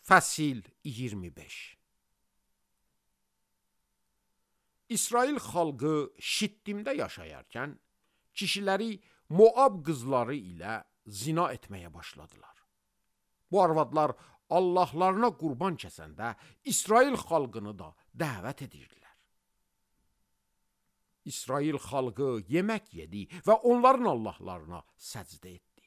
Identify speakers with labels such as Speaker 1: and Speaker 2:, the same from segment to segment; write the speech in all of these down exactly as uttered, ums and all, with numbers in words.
Speaker 1: Fəsil iyirmi beş. İsrail xalqı Şittimdə yaşayarkən, kişiləri Moab qızları ilə zina etməyə başladılar. Bu arvadlar Allahlarına qurban kəsəndə İsrail xalqını da dəvət edirdilər. İsrail xalqı yemək yedi və onların Allahlarına səcdə etdi.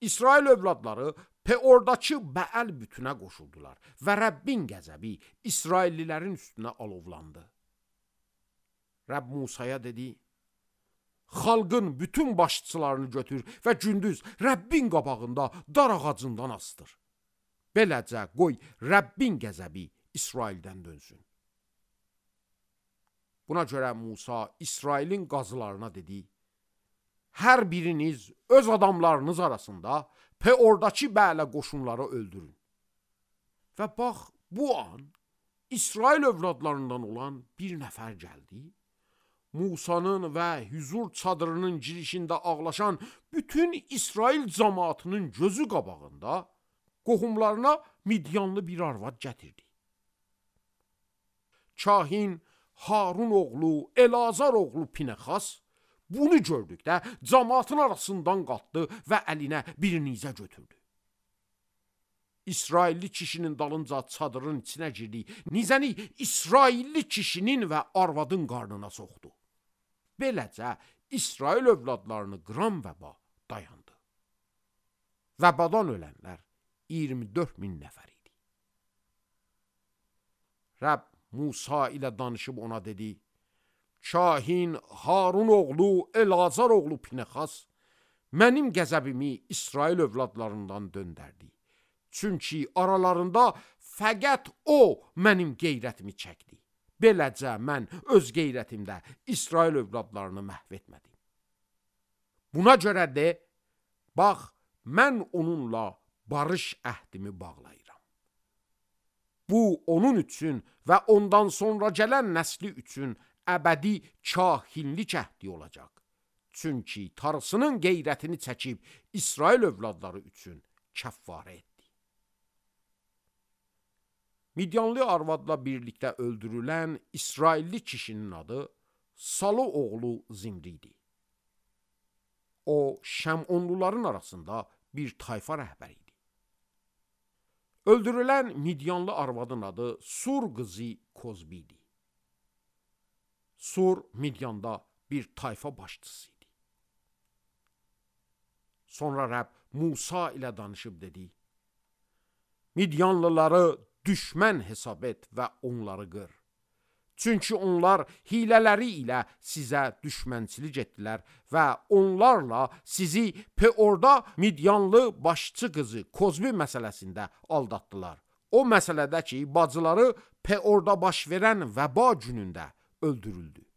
Speaker 1: İsrail övladları Peordakı Bəəl bütünə qoşuldular və Rəbbin qəzəbi İsraillilərin üstünə alovlandı. Rəbb Musaya dedi, xalqın bütün başçılarını götür və gündüz Rəbbin qabağında dar ağacından asdır. Beləcə qoy Rəbbin qəzəbi İsraildən dönsün. Buna görə Musa İsrailin qazılarına dedi, hər biriniz öz adamlarınız arasında Peordakı Bəələ qoşunları öldürün. Və bax, bu an İsrail övladlarından olan bir nəfər gəldi, Musanın və hüzur çadırının girişində ağlaşan bütün İsrail cəmaatının gözü qabağında qohumlarına Midyanlı bir arvad gətirdi. Kahin Harun oğlu, Elazar oğlu Pinexas bunu gördükdə cəmaatın arasından qalxdı və əlinə bir nizə götürdü. İsrailli kişinin dalınca çadırın içinə girdi, nizəni İsrailli kişinin və arvadın qarnına soxdu. Beləcə İsrail övladlarını qıran vəba dayandı. Vəbadan ölənlər iyirmi dörd min nəfər idi. Rəbb Musa ilə danışıb ona dedi, Kahin Harun oğlu, Elazar oğlu Pinexas mənim qəzəbimi İsrail övladlarından döndərdi. Çünki aralarında fəqət o mənim qeyrətimi çəkdi. Beləcə mən öz qeyrətimdə İsrail övladlarını məhv etmədim. Buna görə de, bax, mən onunla barış əhdimi bağlayıram. Bu onun üçün və ondan sonra gələn nəsli üçün əbədi kahinlik əhdi olacaq. Çünki Tanrısının qeyrətini çəkib İsrail övladları üçün kəffarə etdi. Midyanlı arvadla birlikdə öldürülən İsrailli kişinin adı Salı oğlu Zimri idi. O, Şəmonluların arasında bir tayfa rəhbəri idi. Öldürülən Midyanlı arvadın adı Sur qızı Kozbi idi. Sur Midyanda bir tayfa başçısı idi. Sonra Rəbb Musa ilə danışıb dedi, Midyanlıları düşmən hesab et və onları qır. Çünki onlar hilələri ilə sizə düşmənçilik etdilər və onlarla sizi Peorda Midyanlı başçı qızı Kozbi məsələsində aldatdılar. O məsələdə ki, bacıları Peorda baş verən vəba günündə öldürüldü.